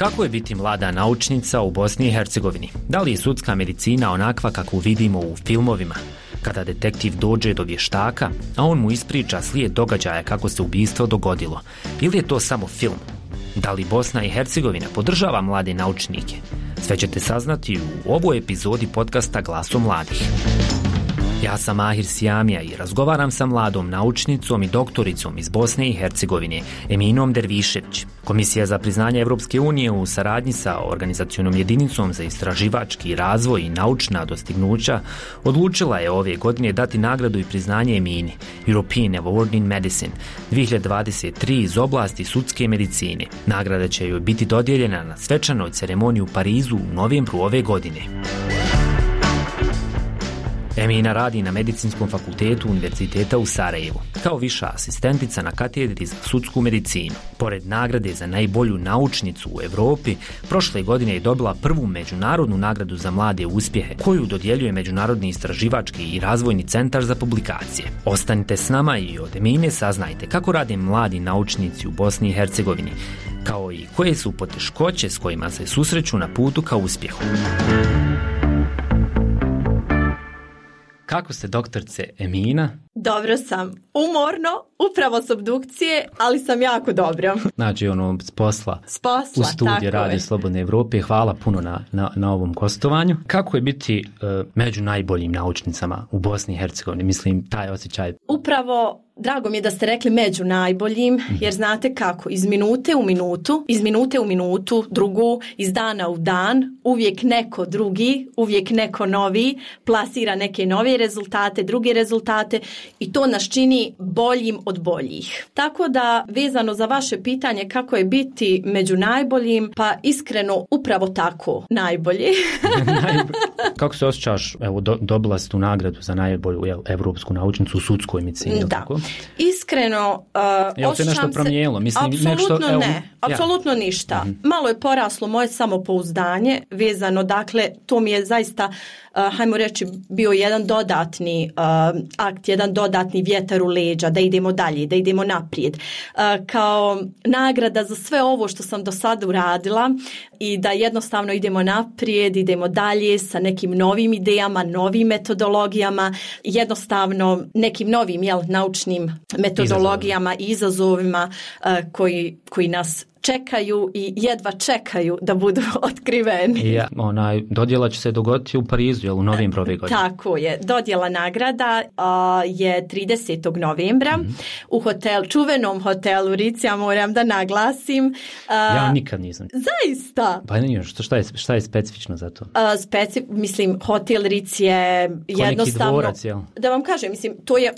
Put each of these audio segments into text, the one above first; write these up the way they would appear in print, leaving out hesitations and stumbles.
Kako je biti mlada naučnica u Bosni i Hercegovini? Da li je sudska medicina onakva kakvu vidimo u filmovima? Kada detektiv dođe do vještaka, a on mu ispriča slijed događaja kako se ubistvo dogodilo. Ili je to samo film? Da li Bosna i Hercegovina podržava mlade naučnike? Sve ćete saznati u ovoj epizodi podcasta Glasom mladih. Ja sam Mahir Sijamija i razgovaram sa mladom naučnicom i doktoricom iz Bosne i Hercegovine, Eminom Dervišević. Komisija za priznanje Evropske unije u saradnji sa organizacionom jedinicom za istraživački razvoj i naučna dostignuća odlučila je ove godine dati nagradu i priznanje Emini, European Award in Medicine 2023 iz oblasti sudske medicine. Nagrada će joj biti dodijeljena na svečanoj ceremoniji u Parizu u novembru ove godine. Emina radi na Medicinskom fakultetu Univerziteta u Sarajevu, kao viša asistentica na katedri za sudsku medicinu. Pored nagrade za najbolju naučnicu u Europi, prošle godine je dobila prvu međunarodnu nagradu za mlade uspjehe, koju dodjeljuje Međunarodni istraživački i razvojni centar za publikacije. Ostanite s nama i od Emine saznajte kako rade mladi naučnici u Bosni i Hercegovini, kao i koje su poteškoće s kojima se susreću na putu ka uspjehu. Kako ste, doktorce Emina? Dobro sam. Umorno, upravo s obdukcije, ali sam jako dobro. Znači, s posla u studiju Radio Slobodne Evrope. Hvala puno na ovom gostovanju. Kako je biti među najboljim naučnicama u Bosni i Hercegovini? Mislim, taj osjećaj. Upravo, drago mi je da ste rekli među najboljim, jer znate kako, iz minute u minutu, drugu, iz dana u dan, uvijek neko drugi, uvijek neko novi, plasira neke nove rezultate, druge rezultate i to nas čini boljim od boljih. Tako da, vezano za vaše pitanje kako je biti među najboljim, pa iskreno upravo tako, najbolji. Kako se osjećaš, evo, dobila si tu nagradu za najbolju evropsku naučnicu u sudskoj medicini, da. Tako? Iskreno, jel se nešto promijenilo? Apsolutno ništa. Malo je poraslo moje samopouzdanje vezano, dakle, to mi je zaista, hajmo reći, bio jedan dodatni akt, jedan dodatni vjetar u leđa, da idemo dalje, da idemo naprijed. Kao nagrada za sve ovo što sam do sada uradila i da jednostavno idemo naprijed, idemo dalje sa nekim novim idejama, novim metodologijama, jednostavno nekim novim naučnim metodologijama i izazovima koji nas čekaju i jedva čekaju da budu otkriveni. Dodjela će se dogoditi u Parizu, u novembru ove godine. Tako je. Dodjela nagrada je 30. novembra u čuvenom hotelu Ritz, ja moram da naglasim. Ja nikad nisam. Zaista? Pa nije, šta je specifično za to? Hotel Ritz je jednostavno... Dvorac, jel? Da vam kažem,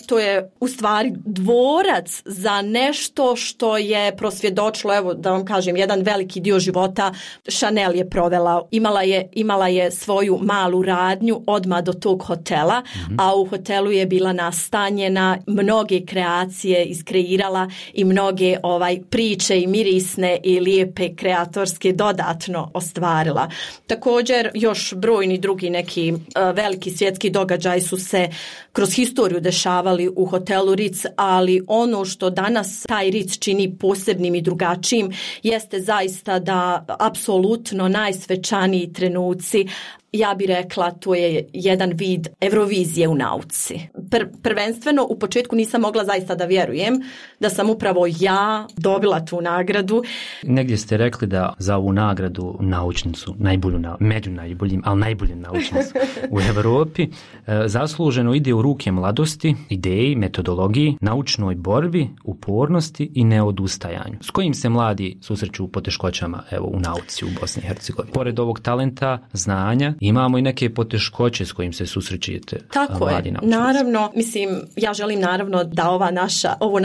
to je u stvari dvorac za nešto što je prosvjedočilo, evo da vam kažem, jedan veliki dio života Chanel je provela. Imala je svoju malu radnju odmah do tog hotela, a u hotelu je bila nastanjena, mnoge kreacije iskreirala i mnoge priče i mirisne i lijepe kreatorske dodatno ostvarila. Također još brojni drugi neki veliki svjetski događaji su se kroz historiju dešavali u hotelu Ritz, ali ono što danas taj Ritz čini posebnim i drugačijim jeste zaista da apsolutno najsvečaniji trenuci, ja bih rekla, to je jedan vid Eurovizije u nauci. Prvenstveno, u početku nisam mogla zaista da vjerujem da sam upravo ja dobila tu nagradu. Negdje ste rekli da za ovu nagradu naučnicu, među najboljim, ali najboljim naučnicu u Europi, zasluženo ide u ruke mladosti, ideji, metodologiji, naučnoj borbi, upornosti i neodustajanju. S kojim se mladi susreću poteškoćama u nauci u Bosni i Hercegovini? Pored ovog talenta, znanja, imamo i neke poteškoće s kojim se susrećete. Tako je, naravno, ja želim naravno da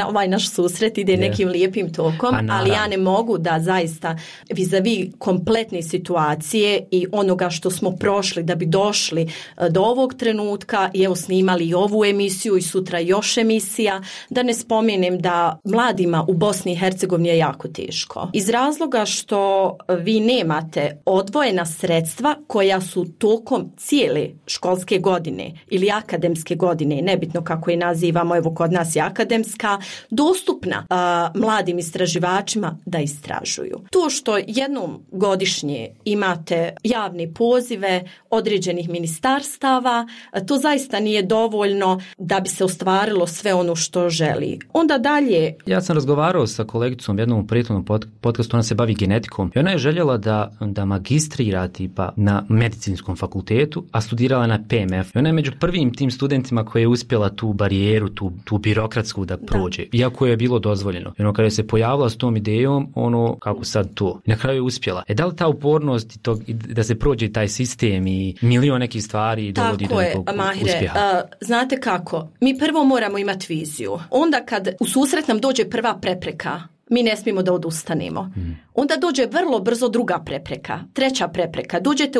ovaj naš susret ide nekim lijepim tokom, ali ja ne mogu da zaista vis-a-vis kompletne situacije i onoga što smo prošli da bi došli do ovog trenutka i evo snimali i ovu emisiju i sutra još emisija, da ne spomenem da mladima u Bosni i Hercegovini je jako teško. Iz razloga što vi nemate odvojena sredstva koja su tokom cijele školske godine ili akademske godine, nebitno kako je nazivamo, evo kod nas je akademska, dostupna mladim istraživačima da istražuju. To što jednom godišnje imate javne pozive određenih ministarstava, to zaista nije dovoljno da bi se ostvarilo sve ono što želi. Onda dalje... Ja sam razgovarao sa kolegicom jednom u prethodnom podcastu, ona se bavi genetikom i ona je željela da magistrira tipa na medicinskom fakultetu, a studirala na PMF. I ona je među prvim tim studentima koja je uspjela tu barijeru, tu birokratsku da prođe, iako je bilo dozvoljeno. I ono kada je se pojavila s tom idejom, kako sad to. I na kraju je uspjela. Da li ta upornost i da se prođe taj sistem i milion nekih stvari dovodi do nekog uspjeha? Znate kako? Mi prvo moramo imati viziju. Onda kad u susret nam dođe prva prepreka, mi ne smijemo da odustanemo. Onda dođe vrlo brzo druga prepreka, treća prepreka. Dođete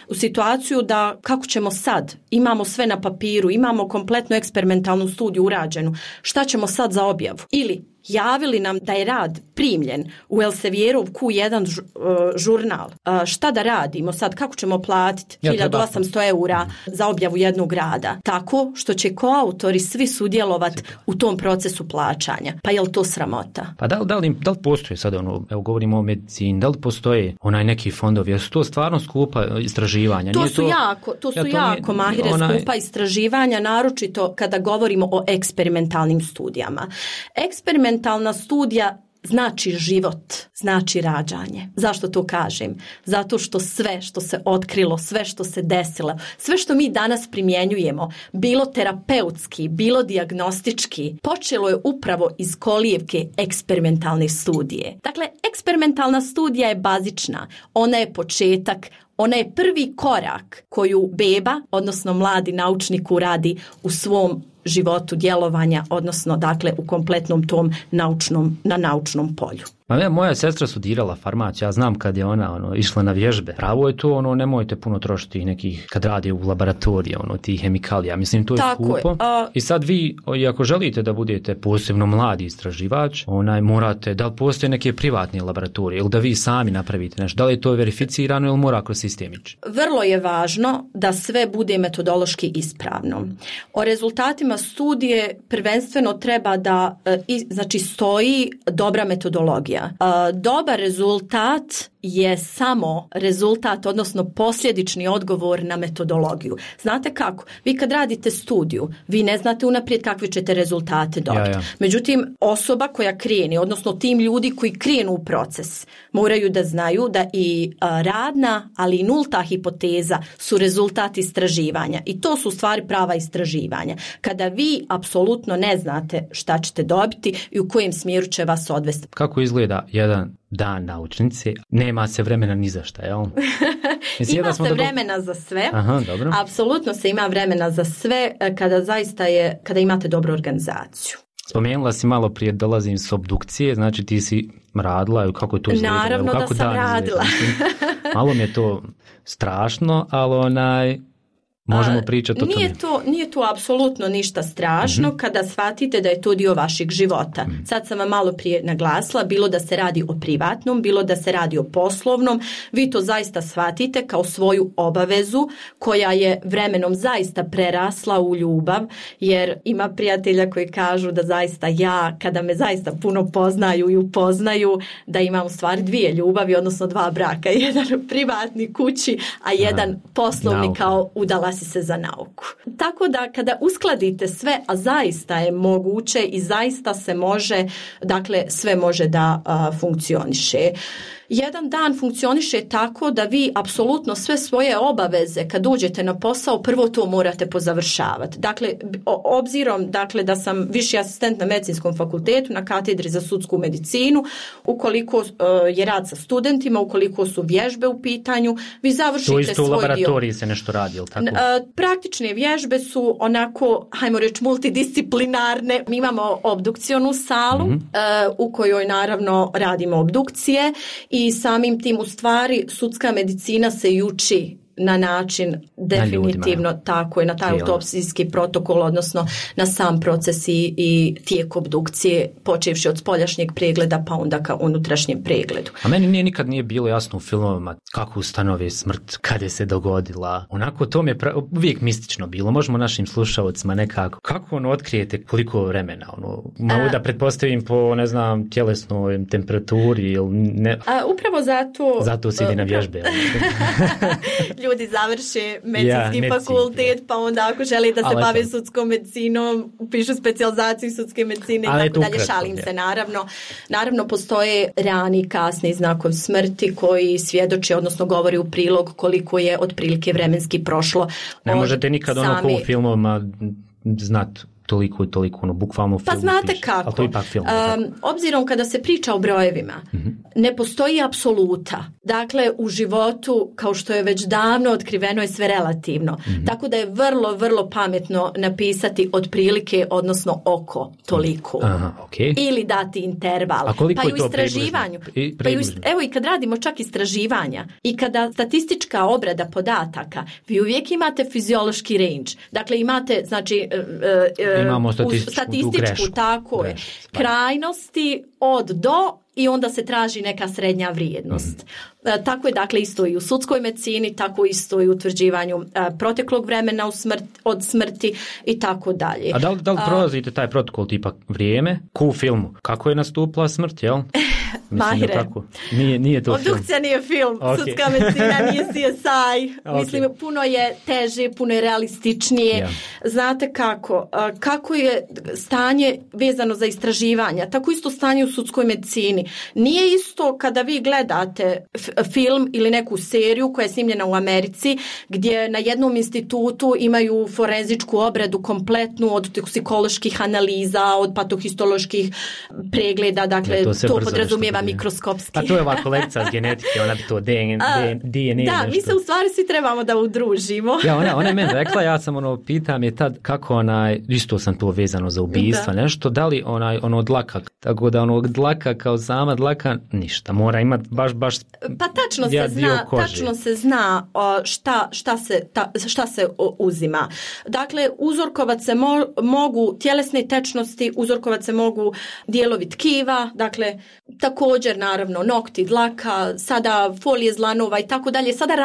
u situaciju da kako ćemo sad? Imamo sve na papiru, imamo kompletnu eksperimentalnu studiju urađenu. Šta ćemo sad za objavu? Ili javili nam da je rad primljen u Elsevierov Q1 žurnal. Šta da radimo sad? Kako ćemo platiti 1800 eura za objavu jednog rada? Tako što će koautori svi sudjelovati u tom procesu plaćanja. Pa je li to sramota? Pa da li postoje sad evo govorimo o medicini, da li postoje neki fondovi? Jesu to stvarno skupa istraživanja? To su jako Mahire, skupa istraživanja, naročito kada govorimo o eksperimentalnim studijama. Eksperimentalna studija znači život, znači rađanje. Zašto to kažem? Zato što sve što se otkrilo, sve što se desilo, sve što mi danas primjenjujemo, bilo terapeutski, bilo dijagnostički, počelo je upravo iz kolijevke eksperimentalne studije. Dakle, eksperimentalna studija je bazična, ona je početak, ona je prvi korak koju beba, odnosno mladi naučnik uradi u svom životu djelovanja, odnosno dakle u kompletnom tom na naučnom polju. Moja sestra studirala farmaciju, ja znam kad je ona išla na vježbe. Pravo je to, nemojte puno trošiti nekih, kad radi u laboratoriji, tih hemikalija. Mislim, to je skupo. I sad vi, ako želite da budete posebno mladi istraživač, morate, da li postoje neke privatne laboratorije ili da vi sami napravite nešto, da li je to verificirano ili mora kroz sistem ići? Vrlo je važno da sve bude metodološki ispravno. O rezultatima studije prvenstveno treba da stoji dobra metodologija. Dobar rezultat je samo rezultat, odnosno posljedični odgovor na metodologiju. Znate kako? Vi kad radite studiju, vi ne znate unaprijed kakve ćete rezultate dobiti. Međutim, osoba koja kreni, odnosno tim ljudi koji krenu u proces, moraju da znaju da i radna, ali i nulta hipoteza su rezultat istraživanja. I to su u stvari prava istraživanja. Kada vi apsolutno ne znate šta ćete dobiti i u kojem smjeru će vas odvesti. Kako izgleda jedan dan naučnice? Nema se vremena ni za šta, jel? Ima se vremena za sve. Aha, dobro. Apsolutno se ima vremena za sve kada imate dobru organizaciju. Spomenula si malo prije, dolazim s obdukcije, znači ti si radila, kako je to izgledalo? Naravno da sam radila. Malo mi je to strašno, ali možemo pričati o tome. Nije to apsolutno ništa strašno kada shvatite da je to dio vašeg života. Sad sam vam malo prije naglasila, bilo da se radi o privatnom, bilo da se radi o poslovnom, vi to zaista shvatite kao svoju obavezu koja je vremenom zaista prerasla u ljubav, jer ima prijatelja koji kažu da zaista ja, kada me zaista puno poznaju i upoznaju, da imam u stvari dvije ljubavi, odnosno dva braka, jedan privatni kući, a jedan poslovni kao udala si se za nauku. Tako da kada uskladite sve, a zaista je moguće i zaista se može, dakle sve može da funkcioniše. Jedan dan funkcioniše tako da vi apsolutno sve svoje obaveze kad dođete na posao prvo to morate pozavršavati. Dakle, obzirom da sam viši asistent na medicinskom fakultetu na katedri za sudsku medicinu, ukoliko je rad sa studentima, ukoliko su vježbe u pitanju, vi završite svoj dio. To isto u laboratoriji se nešto radi, ili tako? Praktične vježbe su onako, hajmo reći, multidisciplinarne. Mi imamo obdukcionu salu u kojoj naravno radimo obdukcije i samim tim u stvari sudska medicina se i uči na način definitivno tako je, na taj autopsijski protokol, odnosno na sam proces i tijek obdukcije, počevši od spoljašnjeg pregleda pa onda ka unutrašnjem pregledu. A meni nikad nije bilo jasno u filmovima kako ustanove smrt, kad je se dogodila. Onako to mi je uvijek mistično bilo. Možemo našim slušalcima nekako. Kako otkrijete koliko vremena? Mogu da pretpostavim po, ne znam, tjelesnoj temperaturi ili ne? Upravo zato... Zato se ide na vježbe. Ljudi završe medicinski fakultet, pa onda ako želi da se bave sudskom medicinom, upišu specijalizaciju sudske medicine i tako dalje. Šalim se, naravno. Naravno, postoje rani i kasni znakovi smrti koji svjedoče, odnosno govori u prilog koliko je otprilike vremenski prošlo. Ne možete nikad ko u filmovima znati toliko i toliko, bukvalno u filmu. Pa znate piše. kako. Ali to ipak film. Obzirom kada se priča o brojevima, ne postoji apsoluta. Dakle, u životu, kao što je već davno otkriveno, je sve relativno. Tako da je vrlo, vrlo pametno napisati otprilike, odnosno oko toliko. Aha, okay. Ili dati interval. A koliko pa je to u istraživanju. Evo i kad radimo čak istraživanja i kada statistička obrada podataka, vi uvijek imate fiziološki range. Dakle, imate, znači, imamo statističku tako je, krajnosti od do i onda se traži neka srednja vrijednost. Tako je dakle isto i u sudskoj medicini, tako isto i u utvrđivanju proteklog vremena od smrti i tako dalje. A da li prolazite taj protokol tipa vrijeme? Ko u filmu? Kako je nastupila smrt, jel? Mahire. Nije to film. Obdukcija nije film, sudska medicina nije CSI. Mislim, puno je teže, puno je realističnije. Znate kako je stanje vezano za istraživanja, tako isto stanje u sudskoj medicini. Nije isto kada vi gledate film ili neku seriju koja je snimljena u Americi, gdje na jednom institutu imaju forenzičku obradu kompletnu od toksikoloških analiza, od patohistoloških pregleda, dakle to podrazumijeva mikroskopski. A to je ova kolekcija s genetike, ona bi to DNA da, mi se u stvari svi trebamo da udružimo. Ona je meni rekla, ja sam pitam je tad kako isto sam to vezano za ubistva, nešto, da li dlaka, tako da dlaka kao sama dlaka, ništa, mora imati baš pa tačno se zna šta se uzima. Dakle, uzorkovat se mogu tjelesne tečnosti, uzorkovat se mogu dijelovi tkiva, dakle, također naravno nokti, dlaka, sada folije zlanova i tako dalje. Sada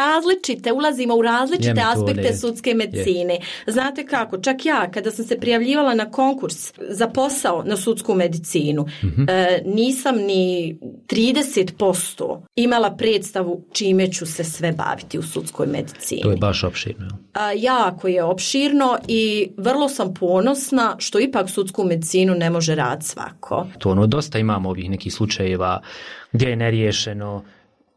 ulazimo u različite aspekte sudske medicine. Znate kako, čak ja kada sam se prijavljivala na konkurs za posao na sudsku medicinu, nisam ni 30% imala predstavu čime ću se sve baviti u sudskoj medicini. To je baš opširno. Jako je opširno i vrlo sam ponosna što ipak sudsku medicinu ne može raditi svako. To dosta imamo ovih nekih slučajeva gdje je neriješeno,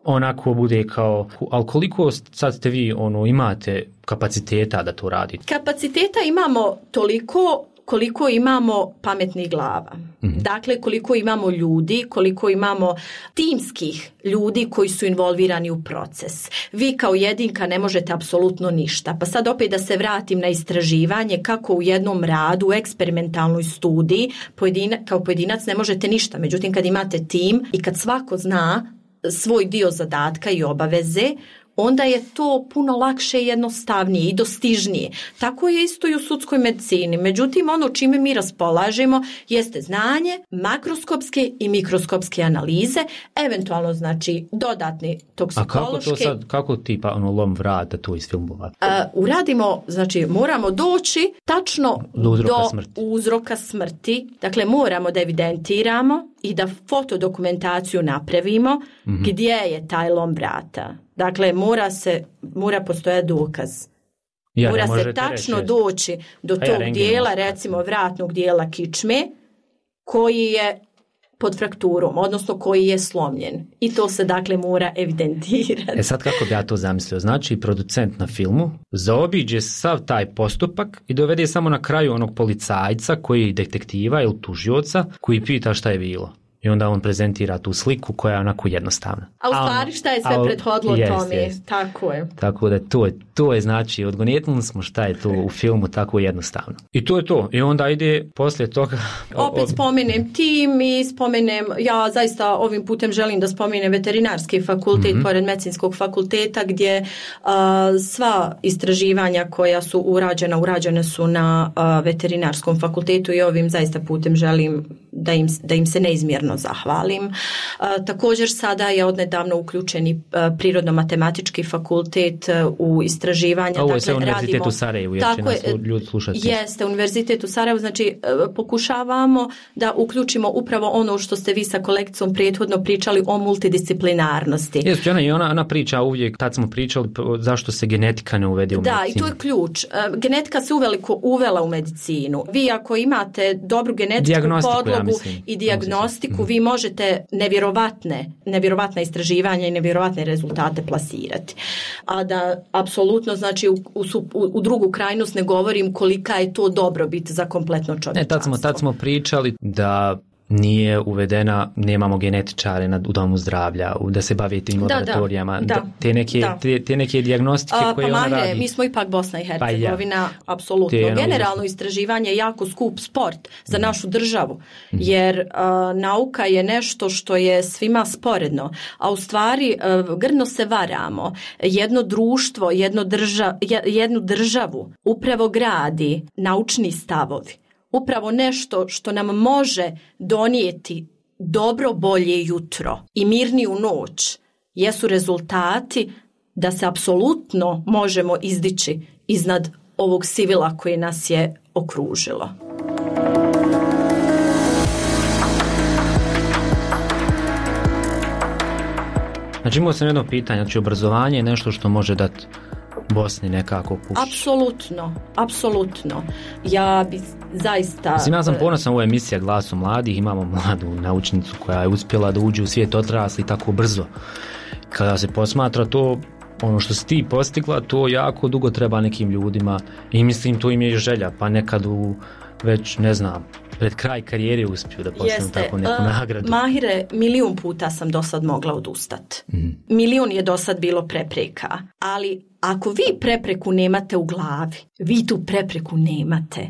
onako bude kao, ali koliko sad ste vi imate kapaciteta da to radite? Kapaciteta imamo toliko koliko imamo pametnih glava. Dakle, koliko imamo ljudi, koliko imamo timskih ljudi koji su involvirani u proces. Vi kao jedinka ne možete apsolutno ništa. Pa sad opet da se vratim na istraživanje kako u jednom radu, u eksperimentalnoj studiji, kao pojedinac ne možete ništa. Međutim, kad imate tim i kad svako zna svoj dio zadatka i obaveze, onda je to puno lakše i jednostavnije i dostižnije. Tako je isto i u sudskoj medicini. Međutim, ono čime mi raspolažemo jeste znanje, makroskopske i mikroskopske analize, eventualno znači dodatni toksikološki. A kako tipa lom vrata tu iz filmova? Uradimo, znači moramo doći tačno do uzroka smrti. Dakle, moramo da evidentiramo i da fotodokumentaciju napravimo gdje je taj lom vrata. Dakle, mora postojati dokaz. Mora se tačno doći do tog dijela, recimo vratnog dijela kičme, koji je pod frakturom, odnosno koji je slomljen. I to se dakle mora evidentirati. Sad kako bi ja to zamislio? Znači, producent na filmu zaobiđe sav taj postupak i dovede samo na kraju onog policajca koji je detektiva ili tužioca koji pita šta je bilo. i onda on prezentira tu sliku koja je onako jednostavna. A u stvari šta je sve prethodilo tome? Tako je. Tako da to je znači, odgonetnuli smo šta je to u filmu tako jednostavno. I to je to. I onda ide poslije toga... Opet spomenem tim i spomenem, ja zaista ovim putem želim da spomenem veterinarski fakultet pored medicinskog fakulteta gdje sva istraživanja koja su urađene su na veterinarskom fakultetu i ovim zaista putem želim da im se neizmjerno zahvalim. Također sada je odnedavno uključeni prirodno-matematički fakultet u istraživanja. Ovo je sve univerzitet u Sarajevu, jer će nas ljudi slušati. Jeste, univerzitet u Sarajevu, znači pokušavamo da uključimo upravo ono što ste vi sa kolegicom prethodno pričali o multidisciplinarnosti. Jeste, ona priča uvijek, tad smo pričali zašto se genetika ne uvede u medicinu. Da, i to je ključ. Genetika se uveliko uvela u medicinu. Vi ako imate dobru genetičku podlogu i dijagnostiku, vi možete nevjerovatna istraživanja i nevjerovatne rezultate plasirati. A da apsolutno, znači u drugu krajnost ne govorim kolika je to dobrobit za kompletno čovječanstvo. Tad smo pričali da nije uvedena, nemamo genetičare u domu zdravlja, da se bave tim laboratorijama, te neke dijagnostike koje ona radi. Mi smo ipak Bosna i Hercegovina, apsolutno. Generalno istraživanje je jako skup sport za našu državu, jer nauka je nešto što je svima sporedno, a u stvari grdno se varamo. Jedno društvo, jednu državu upravo gradi naučni stavovi. Upravo nešto što nam može donijeti dobro, bolje jutro i mirniju noć jesu rezultati da se apsolutno možemo izdići iznad ovog sivila koje nas je okružilo. Znači imao sam jedno pitanje, znači obrazovanje je nešto što može dati Bosni nekako puš. Apsolutno. Ja bi zaista... Mislim, ja sam ponosan, ovo je emisija Glasom mladih, imamo mladu naučnicu koja je uspjela da uđe u svijet odrasli tako brzo. Kada se posmatra to, ono što si ti postigla, to jako dugo treba nekim ljudima i mislim to im je želja, pa nekad već, ne znam, pred kraj karijere uspiju da postanu tako neku nagradu. Mahire, 1.000.000 puta sam do sad mogla odustati. 1.000.000 je do sad bilo prepreka, ali ako vi prepreku nemate u glavi, vi tu prepreku nemate.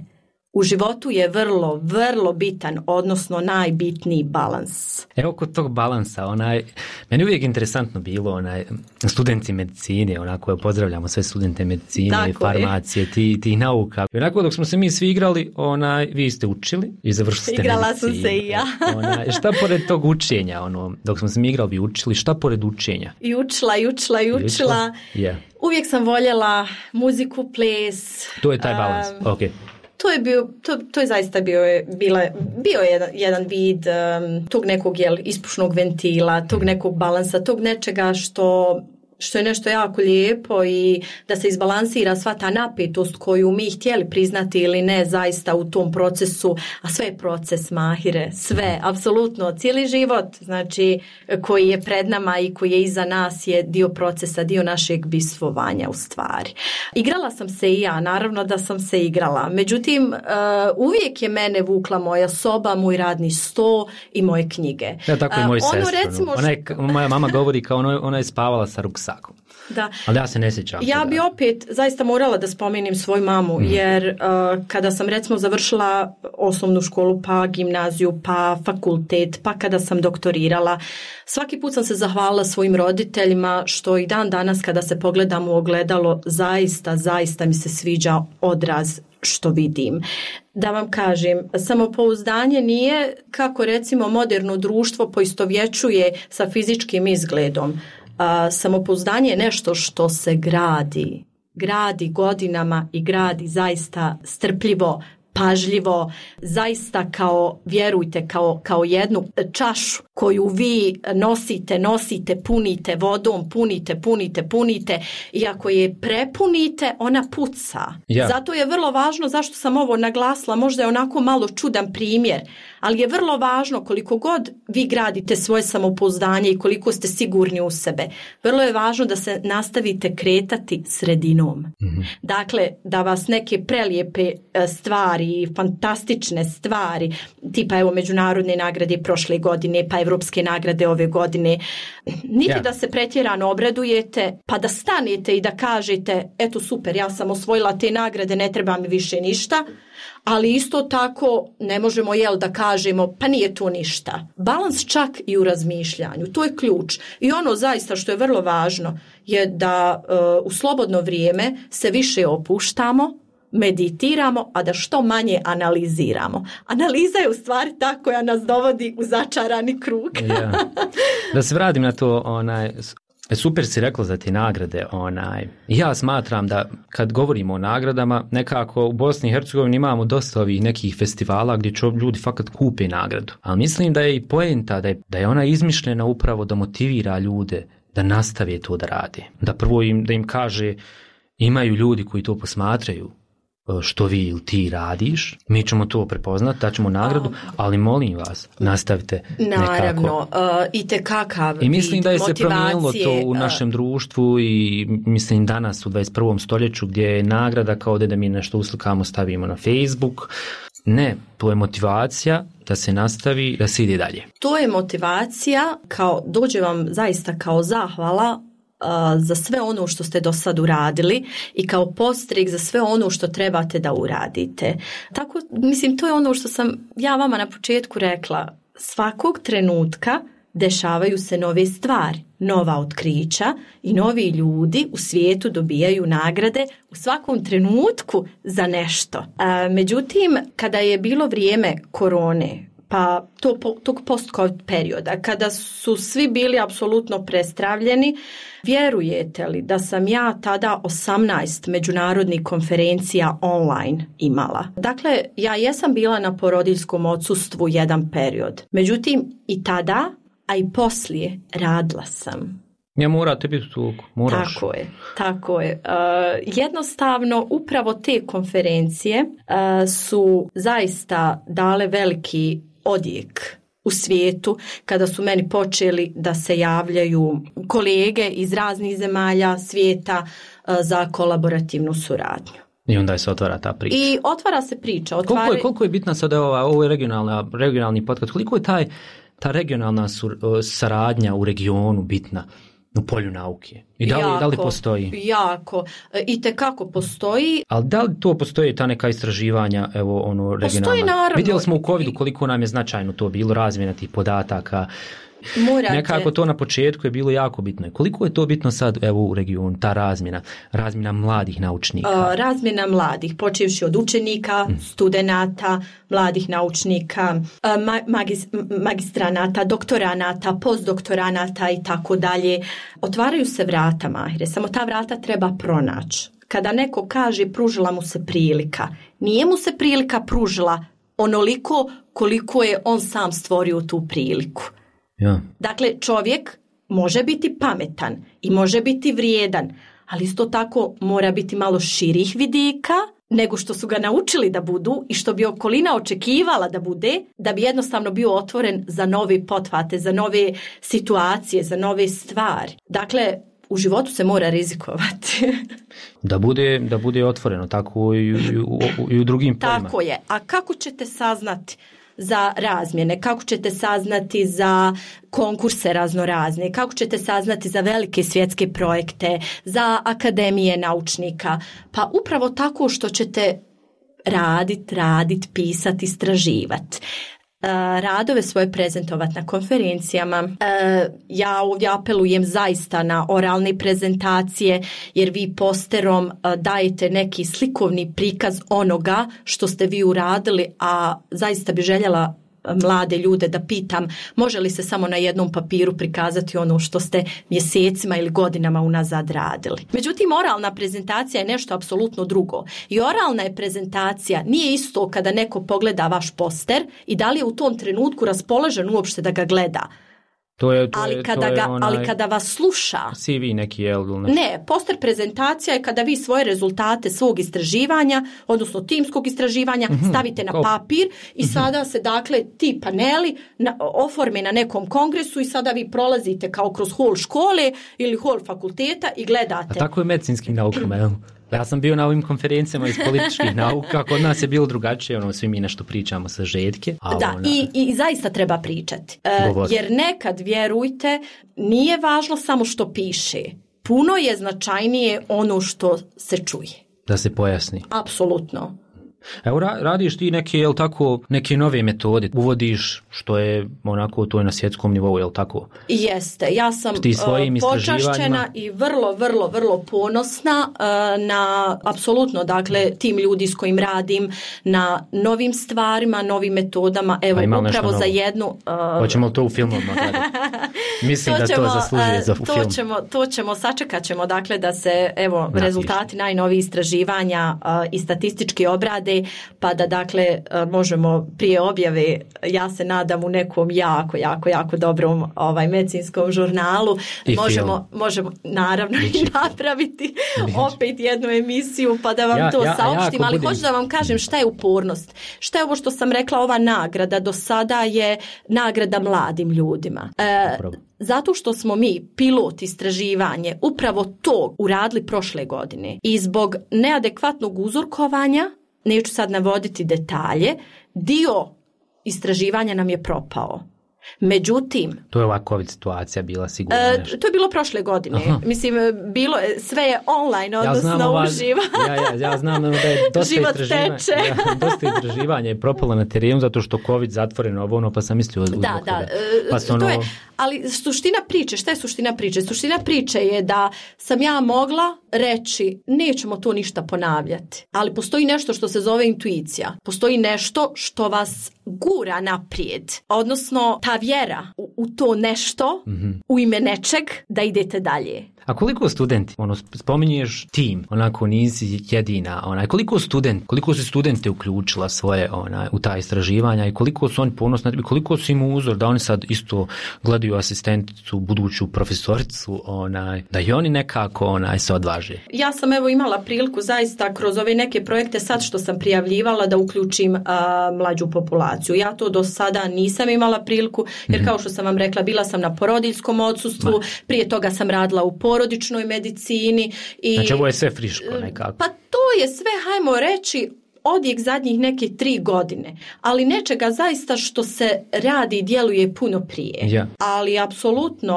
U životu je vrlo, vrlo bitan, odnosno najbitniji balans. Evo kod tog balansa, meni uvijek interesantno bilo, studenti medicine, onako pozdravljamo sve studente medicine i farmacije, ti nauka. I onako dok smo se mi svi igrali, vi ste učili i završili ste Igrala medicine. Sam se i ja. Šta pored tog učenja, dok smo se mi igrali, vi učili, šta pored učenja? I učila. Yeah. Uvijek sam voljela muziku, ples. To je taj balans, ok. To je zaista bio jedan vid tog nekog ispušnog ventila, tog nekog balansa, tog nečega što je nešto jako lijepo i da se izbalansira sva ta napetost koju mi htjeli priznati ili ne zaista u tom procesu, a sve je proces, Mahire, sve, apsolutno, cijeli život, znači koji je pred nama i koji je iza nas je dio procesa, dio našeg bistvovanja u stvari. Igrala sam se i ja, naravno da sam se igrala, međutim uvijek je mene vukla moja soba, moj radni sto i moje knjige. Ja, tako i moju sestru. Moja mama govori kao ona je spavala sa ruksakom. Da. Ali ja se ne sjećam. Ja bi opet zaista morala da spomenem svoju mamu, jer kada sam recimo završila osnovnu školu, pa gimnaziju, pa fakultet, pa kada sam doktorirala, svaki put sam se zahvalila svojim roditeljima što i dan danas kada se pogledam u ogledalo, zaista mi se sviđa odraz što vidim. Da vam kažem, samopouzdanje nije kako recimo moderno društvo poistovjećuje sa fizičkim izgledom. Samopouzdanje je nešto što se gradi godinama i gradi zaista strpljivo, pažljivo, zaista vjerujte, kao jednu čašu koju vi nosite, punite vodom, punite, i ako je prepunite, ona puca. Ja. Zato je vrlo važno, zašto sam ovo naglasila, možda je onako malo čudan primjer, ali je vrlo važno koliko god vi gradite svoje samopouzdanje i koliko ste sigurni u sebe. Vrlo je važno da se nastavite kretati sredinom. Mm-hmm. Dakle, da vas neke prelijepe stvari, fantastične stvari, tipa evo međunarodne nagrade prošle godine, pa evropske nagrade ove godine, niti da se pretjerano obradujete, pa da stanete i da kažete, eto super, ja sam osvojila te nagrade, ne treba mi više ništa, ali isto tako ne možemo da kažemo pa nije to ništa. Balans čak i u razmišljanju, to je ključ. I ono zaista što je vrlo važno je da u slobodno vrijeme se više opuštamo, meditiramo, a da što manje analiziramo. Analiza je u stvari ta koja nas dovodi u začarani krug. Ja. Da se vratim na to, super si rekla za te nagrade. Ja smatram da kad govorimo o nagradama, nekako u Bosni i Hercegovini imamo dosta ovih nekih festivala gdje ljudi fakat kupe nagradu. Ali mislim da je i poenta, da je ona izmišljena upravo da motivira ljude da nastave to da rade. Da prvo da im kaže, imaju ljudi koji to posmatraju, što vi ili ti radiš, mi ćemo to prepoznati, daćemo nagradu, ali molim vas, nastavite naravno, itekakav i mislim da je se motivacije, promijenilo to u našem društvu i mislim danas u 21. stoljeću gdje je nagrada kao da mi nešto uslikamo, stavimo na Facebook. Ne, to je motivacija da se nastavi, da se ide dalje. To je motivacija, dođe vam zaista kao zahvala za sve ono što ste do sad uradili i kao podstrek za sve ono što trebate da uradite. Tako, mislim, to je ono što sam ja vama na početku rekla. Svakog trenutka dešavaju se nove stvari, nova otkrića i novi ljudi u svijetu dobijaju nagrade u svakom trenutku za nešto. Međutim, kada je bilo vrijeme korone, pa tog post-covid perioda, kada su svi bili apsolutno prestravljeni, vjerujete li da sam ja tada 18 međunarodnih konferencija online imala? Dakle, ja jesam bila na porodiljskom odsustvu jedan period. Međutim, i tada, a i poslije, radila sam. Ja morate biti tu, moraš. Tako je. Jednostavno, upravo te konferencije su zaista dale veliki odjek u svijetu kada su meni počeli da se javljaju kolege iz raznih zemalja svijeta za kolaborativnu suradnju. I onda se otvara ta priča. I otvara se priča. Koliko je bitna sada ovo je regionalni podcast, koliko je ta regionalna saradnja u regionu bitna u polju nauke? I da li postoji? Jako. Itekako postoji. Ali da li to postoji ta neka istraživanja, regionalna? Postoji, naravno. Vidjeli smo u covidu koliko nam je značajno to bilo, razmjena tih podataka. Nekako to na početku je bilo jako bitno. Koliko je to bitno sad u regionu, ta razmjena mladih naučnika? Razmjena mladih, počevši od učenika, studenata, mladih naučnika, magistranata, doktoranata, postdoktoranata i tako dalje. Otvaraju se vrata, Mahire, samo ta vrata treba pronaći. Kada neko kaže pružila mu se prilika, nije mu se prilika pružila onoliko koliko je on sam stvorio tu priliku. Ja. Dakle, čovjek može biti pametan i može biti vrijedan, ali isto tako mora biti malo širih vidika nego što su ga naučili da budu i što bi okolina očekivala da bude, da bi jednostavno bio otvoren za nove pothvate, za nove situacije, za nove stvari. Dakle, u životu se mora rizikovati. Da bude otvoreno, tako i u drugim poljima. Tako je. A kako ćete saznati za razmjene, kako ćete saznati za konkurse raznorazne, kako ćete saznati za velike svjetske projekte, za akademije naučnika? Pa upravo tako što ćete raditi, pisati, istraživati. Radove svoje prezentovati na konferencijama. Ja ovdje apelujem zaista na oralne prezentacije, jer vi posterom dajete neki slikovni prikaz onoga što ste vi uradili, a zaista bi željela mlade ljude da pitam, može li se samo na jednom papiru prikazati ono što ste mjesecima ili godinama unazad radili. Međutim, oralna prezentacija je nešto apsolutno drugo. I oralna je prezentacija, nije isto kada neko pogleda vaš poster i da li je u tom trenutku raspoložen uopšte da ga gleda. Ali kada vas sluša... CV neki, Ne, poster prezentacija je kada vi svoje rezultate svog istraživanja, odnosno timskog istraživanja, stavite na papir i sada se, dakle, ti paneli oforme na nekom kongresu i sada vi prolazite kao kroz hol škole ili hol fakulteta i gledate. A tako je medicinskim naukama, jel? Ja sam bio na ovim konferencijama iz političkih nauka, kod nas je bilo drugačije, svi mi nešto pričamo sa žetke. I zaista treba pričati. Jer nekad, vjerujte, nije važno samo što piše. Puno je značajnije ono što se čuje. Da se pojasni. Apsolutno. Evo, radiš ti neke nove metode, uvodiš što je onako to je na svjetskom nivou, jel tako? Jeste, ja sam počašćena i vrlo, vrlo, vrlo ponosna na apsolutno, dakle, tim ljudi s kojim radim, na novim stvarima, novim metodama. Evo, upravo za jednu... Hoćemo to u filmovima gledati? Mislim da to zaslužuje za film. Sačekat ćemo, dakle, da se, evo, rezultati najnovih istraživanja i statistički obrade, pa da, dakle, možemo prije objave, ja se nadam, u nekom jako dobrom medicinskom žurnalu možemo naravno i napraviti opet jednu emisiju pa da vam to saopštim, ali hoću da vam kažem šta je upornost, šta je ovo što sam rekla, ova nagrada do sada je nagrada mladim ljudima. Zato što smo mi pilot istraživanje upravo to uradili prošle godine i zbog neadekvatnog uzorkovanja, neću sad navoditi detalje, dio istraživanja nam je propao. Međutim... To je ova COVID situacija bila sigurno nešto. To je bilo prošle godine. Aha. Mislim, sve je online, odnosno uživo. Ja znam da je dosta istraživanja je propalo na terenu zato što COVID zatvoreno, pa sam mislio... Ali suština priče, šta je suština priče? Suština priče je da sam ja mogla reći nećemo to ništa ponavljati, ali postoji nešto što se zove intuicija. Postoji nešto što vas gura naprijed, odnosno ta vjera u to nešto, u ime nečeg, da idete dalje. A koliko studenti, spominješ tim, onako nisi jedina, koliko su studente uključila svoje u ta istraživanja i koliko su oni ponosni, koliko su im uzor da oni sad isto gledaju asistenticu, buduću profesoricu, da i oni nekako se odvaže. Ja sam imala priliku zaista kroz ove neke projekte sad što sam prijavljivala da uključim mlađu populaciju. Ja to do sada nisam imala priliku jer kao što sam vam rekla, bila sam na porodiljskom odsustvu, prije toga sam radila u porodičnoj medicini. Znači ovo je sve friško nekako. Pa to je sve, hajmo reći, odjek zadnjih neke 3 godine, ali nečega zaista što se radi i djeluje puno prije. Ja. Ali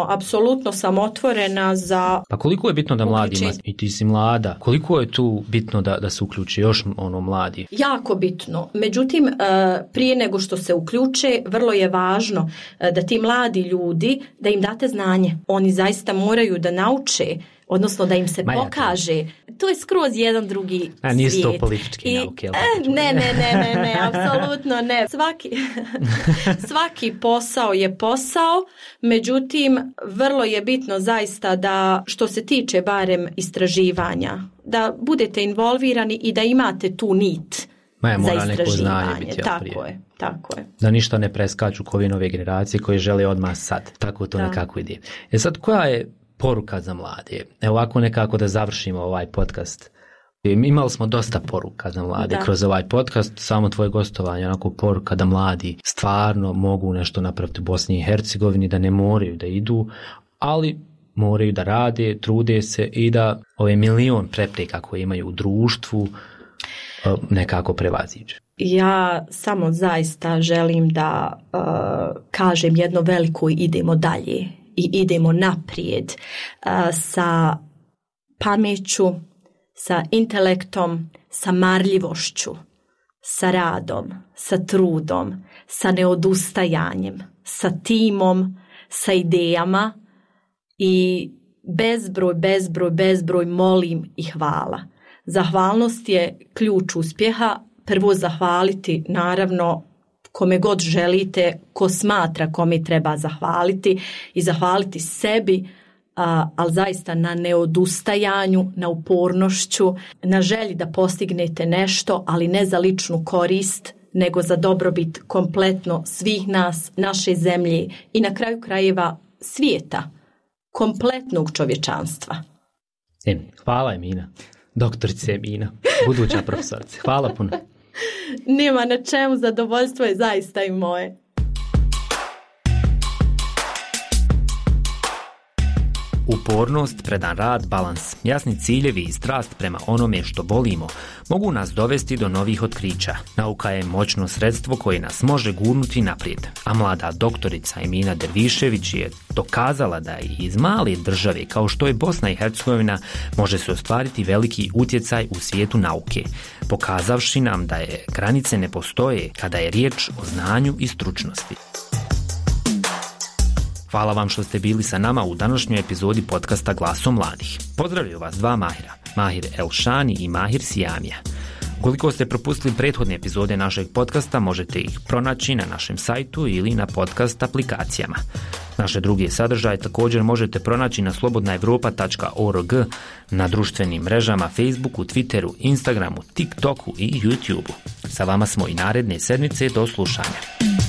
apsolutno sam otvorena za... Pa koliko je bitno da mladima, i ti si mlada, koliko je tu bitno da se uključi još mladi? Jako bitno. Međutim, prije nego što se uključe, vrlo je važno da ti mladi ljudi, da im date znanje. Oni zaista moraju da nauče, odnosno da im se pokaže. To je skroz jedan drugi svijet. Nisu to politički nauke. Ne, apsolutno ne. Svaki posao je posao, međutim, vrlo je bitno zaista da, što se tiče barem istraživanja, da budete involvirani i da imate tu nit za istraživanje. Tako je. Da ništa ne preskaču kovi nove generacije koje žele odmah sad. Tako to nekako ide. Sad, koja je poruka za mlade? Evo ovako nekako da završimo ovaj podcast. Imali smo dosta poruka za mlade kroz ovaj podcast, samo tvoje gostovanje, onako poruka da mladi stvarno mogu nešto napraviti u Bosni i Hercegovini, da ne moraju da idu, ali moraju da rade, trude se i da ove milion prepreka koje imaju u društvu nekako prevaziđe. Ja samo zaista želim da kažem jedno veliko idemo dalje i idemo naprijed sa pameću, sa intelektom, sa marljivošću, sa radom, sa trudom, sa neodustajanjem, sa timom, sa idejama i bezbroj molim i hvala. Zahvalnost je ključ uspjeha. Prvo zahvaliti, naravno, kome god želite, ko smatra kome treba zahvaliti i zahvaliti sebi, ali zaista na neodustajanju, na upornošću, na želji da postignete nešto, ali ne za ličnu korist, nego za dobrobit kompletno svih nas, naše zemlje i na kraju krajeva svijeta, kompletnog čovječanstva. Hvala Emina, doktorice Emina, buduća profesorice. Hvala puno. Nema na čemu, zadovoljstvo je zaista i moje. Upornost, predan rad, balans, jasni ciljevi i strast prema onome što volimo mogu nas dovesti do novih otkrića. Nauka je moćno sredstvo koje nas može gurnuti naprijed, a mlada doktorica Emina Dervišević je dokazala da i iz male države kao što je Bosna i Hercegovina može se ostvariti veliki utjecaj u svijetu nauke, pokazavši nam da je granice ne postoje kada je riječ o znanju i stručnosti. Hvala vam što ste bili sa nama u današnjoj epizodi podcasta Glasom mladih. Pozdravljaju vas dva Mahira, Mahir Elšani i Mahir Sijamija. Ukoliko ste propustili prethodne epizode našeg podcasta, možete ih pronaći na našem sajtu ili na podcast aplikacijama. Naše druge sadržaje također možete pronaći na slobodnaevropa.org, na društvenim mrežama Facebooku, Twitteru, Instagramu, TikToku i YouTubeu. Sa vama smo i naredne sedmice, do slušanja.